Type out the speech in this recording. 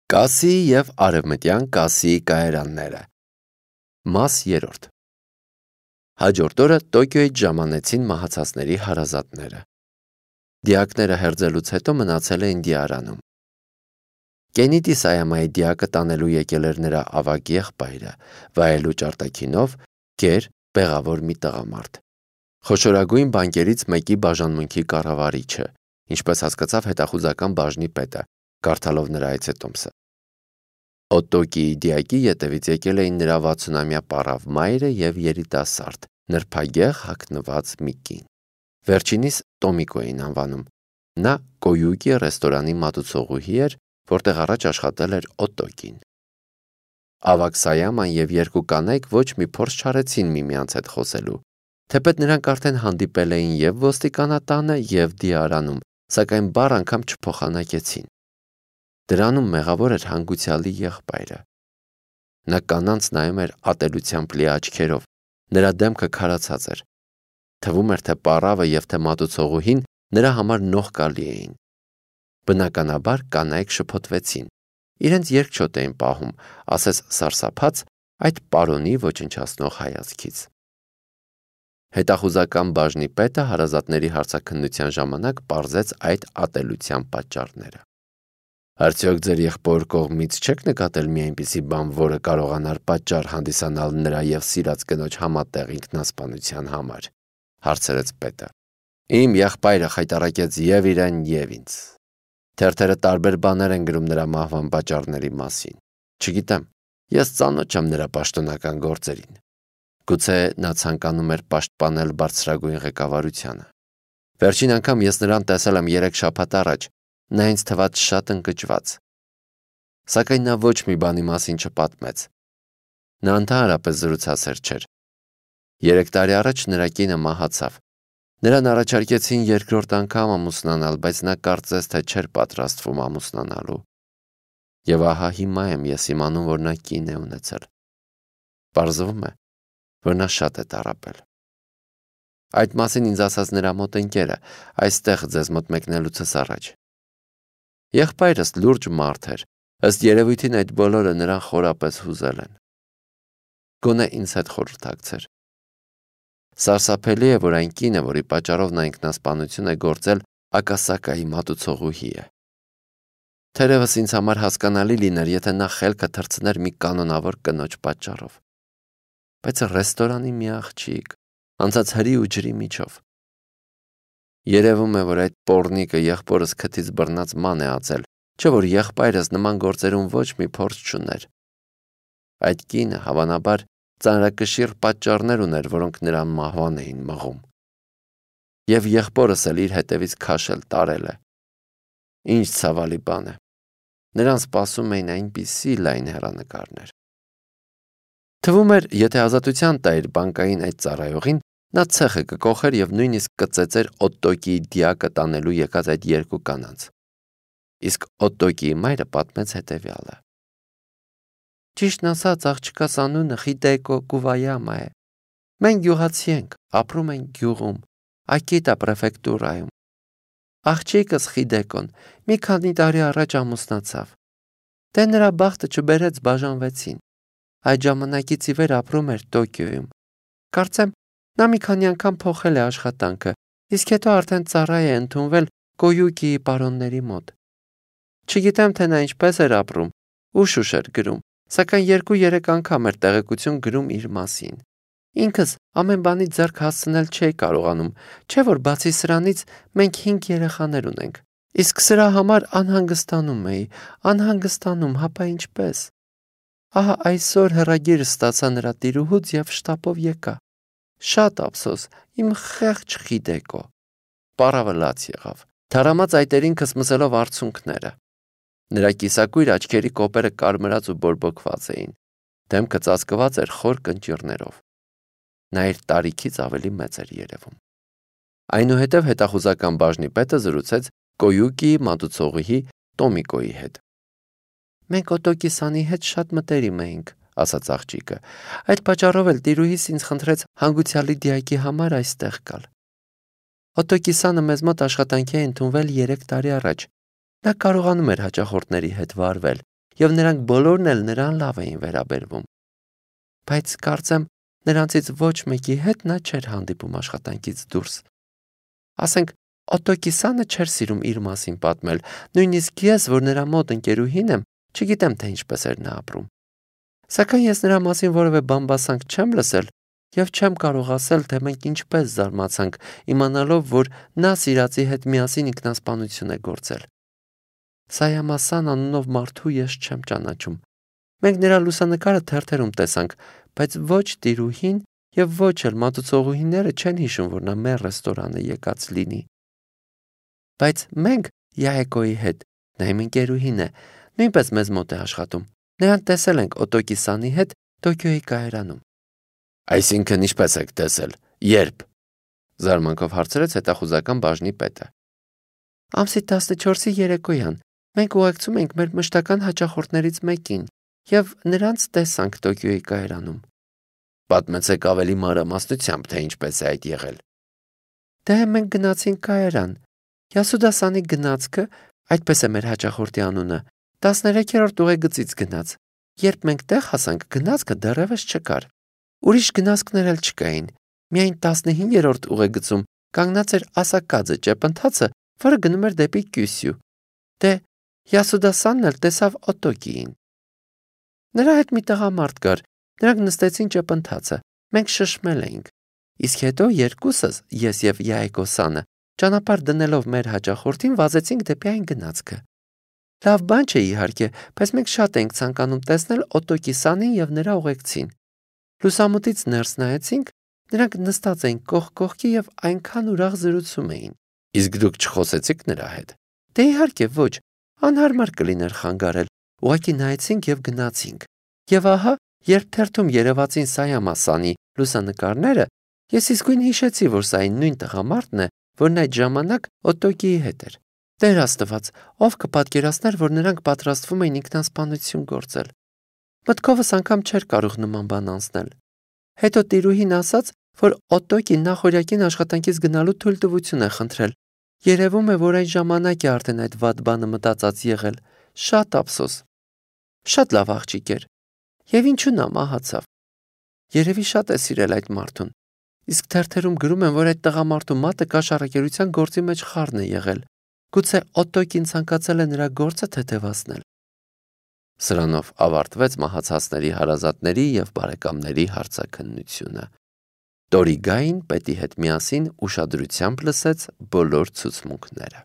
Կասի և արևմտյան կասի կայարանները։ Մաս 3 Հաջորդ օրը Տոկիոյից ժամանեցին մահացածների հարազատները։ Դիակները հերձելուց հետո մնացել էին դիարանում։ Կենիդի Սայամայի դիակը տանելու եկել էր նրա ավագ եղբայրը, վայելուչ արտաքինով, գեր, բեղավոր մի տղամարդ։ Խոշորագույն բանկերից մեկի բաժանմունքի կառավարիչը, ինչպես հասկացավ հետախուզական բաժնի պետը, կարդալով նրա այցետոմսը։ Օտոկիի դիակի ետևից եկել էին նրա 60-ամյա պառավ մայրը և երիտասարդ, նրբագեղ հագնված մի կին։ Վերջինիս Տոմիկո էին անվանում։ Նա Կոյուկի ռեստորանի մատուցողուհի էր, որտեղ առաջ աշխատել էր Օտոկին։ Ավագ Սայաման և երկու կանայք ոչ մի փորձ չարեցին միմյանց հետ խոսելու, թեպետ նրանք արդեն հանդիպել էին և ոստիկանատանը, և դիարանում, սակայն բառ անգամ չփոխանակեցին։ Դրանում մեղավոր էր հանգուցյալի եղբայրը։ Նա կանանց նայում էր ատելությամբ լի աչքերով, նրա դեմքը քարացած էր։ Թվում էր, թե պառավը և թե մատուցողուհին նրա համար նողկալի էին։ Բնականաբար կանայք շփոթվեցին, իրենց երկչոտ էին պահում, ասես սարսափած այդ պարոնի ոչնչացնող հայացքից։ Հետախուզական բաժնի պետը հարազատների հարցաքննության ժամանակ պարզեց այդ ատելության պատճառները։ Արդյոք ձեր եղբոր կողմից չեք նկատել մի այնպիսի բան, որը կարողանար պատճառ հանդիսանալ նրա և սիրած կնոջ համատեղ ինքնասպանության համար, հարցրեց պետը։ Իմ եղբայրը խայտառակեց և իրեն, և ինձ։ Թերթերը տարբեր բաներ են գրում նրա մահվան պատճառների մասին։ Չգիտեմ, ես ծանոթ չեմ նրա պաշտոնական գործերին։ Գուցե նա ցանկանում էր պաշտպանել բարձրագույն ղեկավարությանը։ Վերջին անգամ ես նրան տեսել եմ 3 շաբաթ առաջ, նա ինձ թվաց շատ ընկճված։ Սակայն նա ոչ մի բանի մասին չպատմեց։ Նա ընդհանրապես զրուցասեր չէր։ 3 տարի առաջ նրա կինը մահացավ։ Նրան առաջարկեցին երկրորդ անգամ ամուսնանալ, բայց նա կարծես թե չէր պատրաստվում ամուսնանալու։ Եվ ահա հիմա եմ ես իմանում, որ նա կին է ունեցել։ Պարզվում է, որ նա շատ է տառապել։ Այդ մասին ինձ ասաց նրա մոտ ընկերը, այստեղ ձեզ մոտ մեկնելուցս առաջ։ Եղբայրս լուրջ մարդ էր, ըստ երևույթին այդ բոլորը նրան խորապես հուզել են։ Գոնե ինձ հետ խորհրդակցեր։ Սարսափելի է, որ այն կինը, որի պատճառով նա ինքնասպանություն է գործել, Ակասակայի մատուցողուհի է։ Թերևս ինձ համար հասկանալի լիներ, եթե նա խելքը թռցներ մի կանոնավոր կնոջ պատճառով։ Բայց ռեստորանի մի աղջիկ, անցած հրի ու ջրի միջով։ Երևում է, որ այդ պոռնիկը եղբորս քթից բռնած ման է ածել, չէ՞ որ եղբայրս նման գործերում ոչ մի փորձ չուներ։ Այդ կինը, հավանաբար, ծանրակշիռ պատճառներ ուներ, որոնք նրան մահվան էին մղում։ Եվ եղբորս էլ իր հետևից քաշել տարել է։ Ինչ ցավալի բան է։ Նրան սպասում էին այնպիսի լայն հեռանկարներ։ Թվում էր, եթե ազատության տայր բանկային այդ ծառայողին, նա ցեխը կկոխեր և նույնիսկ կծեծեր Օտոկիի դիակը տանելու եկած այդ երկու կանանց։ Իսկ Օտոկիի մայրը պատմեց հետևյալը. Ճիշտն ասած, աղջկաս անունը Խիդեկո Կուվայամա է։ Մենք գյուղացի ենք, ապրում ենք գյուղում, Ակիտա պրեֆեկտուրայում։ Աղջիկս Խիդեկոն մի քանի տարի առաջ ամուսնացավ։ Դե նրա բախտը չբերեց, բաժանվեցին։ Այդ ժամանակից ի վեր ապրում էր Տոկիոյում։ Կարծեմ, նա մի քանի անգամ փոխել է աշխատանքը, իսկ հետո արդեն ծառա է ընդունվել Կոյուկիի պարոնների մոտ։ Չգիտեմ, թե նա ինչպես էր ապրում, ուշ էր գրում, սակայն 2-3 անգամ էր տեղեկություն գրում իր մասին։ Ինքս ամեն բանից ձեռք հասցնել չէի կարողանում, չէ՞ որ բացի սրանից մենք 5 երեխաներ ունենք։ Իսկ սրա համար անհանգստանում էի, հապա ինչպես։ Ահա այսօր հեռագիրը ստացա նրա տիրուհուց և շտապով եկա։ Շատ ափսոս, իմ խեղճ Խիդեկո։ Պառավը լաց եղավ, թարամած այտերին քսմսելով արցունքները։ Նրա կիսակույր աչքերի կոպերը կարմրած ու բորբոքված էին, դեմքը ծածկված էր խոր կնճիռներով։ Նա իր տարիքից ավելի մեծ էր երևում։ Այնուհետև հետախուզական բաժնի պետը զրուցեց Կոյուկիի մատուցողուհի Տոմիկոյի հետ։ Մենք Օտոկի-սանի հետ շատ մտերիմ էինք, ասաց աղջիկը։ Այդ պատճառով էլ տիրուհիս ինձ խնդրեց հանգուցյալի դիակի համար այստեղ գալ։ Օտոկի-սանը մեզ մոտ աշխատանքի է ընդունվել 3 տարի առաջ։ Նա կարողանում էր հաճախորդների հետ վարվել եւ նրանք բոլորն էլ նրան լավ էին վերաբերվում։ Բայց կարծեմ, նրանցից ոչ մեկի հետ նա չէր հանդիպում աշխատանքից դուրս։ Ասենք, Օտոկիսանը չէր սիրում իր մասին պատմել, նույնիսկ ես, որ նրա մոտ ընկերուհին եմ, չգիտեմ, թե ինչպես էր նա ապրում։ Սակայն ես նրա մասին որևէ բամբասանք չեմ լսել եւ չեմ կարող ասել, թե մենք ինչպես զարմացանք, իմանալով, որ նա սիրածի հետ միասին ինքնասպանություն է գործել։ Սայամասան անունով մարդու ես չեմ ճանաչում։ Մենք նրա լուսանկարը թերթերում տեսանք, բայց ոչ տիրուհին եւ ոչ էլ մատուցողուհիները չեն հիշում, որ նա մեր ռեստորանը եկած լինի։ Բայց մենք Յահեկոյի հետ, նա իմ ընկերուհին է, նույնպես մեզ մոտ է աշխատում։ Նրան տեսել ենք Օտոկիսանի հետ Տոկիոյի կայարանում։ Այսինքն ինչպես եք տեսել, երբ, զարմանքով հարցրեց հետախուզական բաժնի պետը։ Ամսի 14-ի երեկոյան մենք ուղեկցում ենք մեր մշտական հաճախորդներից մեկին եւ նրանց տեսանք Տոկիոյի կայարանում։ Պատմեցեք ավելի մանրամասնությամբ, թե ինչպես է այդ եղել։ Դե մենք գնացինք կայարան։ Յասուդասանի գնացքը, այդպես է մեր հաճախորդի անունը, 13-րդ ուղեգծից գնաց։ Երբ մենք տեղ հասանք, գնացքը դեռևս չկար։ Ուրիշ գնացքներ էլ չկային։ Միայն 15-րդ ուղեգծում կանգնած էր ասակաձը ճեպընթացը, որը գնում էր դեպի Կյուսյու։ Դե Յասուդասանն էլ տեսավ Օտոկիին։ Նրա հետ մի տղամարդ կար, նրանք նստեցին ճեպընթացը, մենք շշմել էինք։ Իսկ հետո երկուսս, ես եւ Յահեկոսանը, ճանապարհ դնելով մեր հաճախորդին վազեցինք դեպի այն գնացքը։ Լավ բան չէ իհարկե, բայց մենք շատ ենք ցանկանում տեսնել Օտոկիսանին եւ նրա ուղեկցին։ Լուսամուտից ներս նայեցինք, նրանք նստած էին կողք կողքի եւ այնքան ուրախ զրուցում էին։ Իսկ դուք չխոսեցիք նրա հետ։ Դե իհարկե ոչ, անհարմար կլիներ խանգարել։ Ուղղակի նայեցինք եւ գնացինք։ Եվ ահա, երբ թերթում երևացին Սայամասանի լուսանկարները, ես իսկույն հիշեցի, որ սա այն նույն տղամարդն է, որն այդ ժամանակ Օտոկիի հետ էր։ Տեր Աստված, ով կպատկերացներ, որ նրանք պատրաստվում էին ինքնասպանություն գործել։ Մտքովս անգամ չէր կարող նման բան անցնել։ Հետո տիրուհին ասաց, որ Օտոկին նախօրյակին աշխատանքից գնալու թույլտվություն է խնդրել։ Երևում է, որ այն ժամանակ է արդեն այդ վատ բանը մտածած եղել։ Շատ ափսոս։ Շատ լավ աղջիկ էր։ Եվ ինչու նա մահացավ։ Երևի շատ է սիրել այդ մարդուն։ Իսկ թերթերում գրում են, որ այդ տղամարդու մատը կաշառակերության գործի մեջ խառն է եղել։ Գուցե Օտոկին ցանկացել է նրա գործը թեթևացնել։ Սրանով ավարտվեց մահացածների հարազատների եւ բարեկամների հարցաքննությունը։ Տորիգային պետի հետ միասին ուշադրությամբ լսեց բոլոր ցուցմունքները։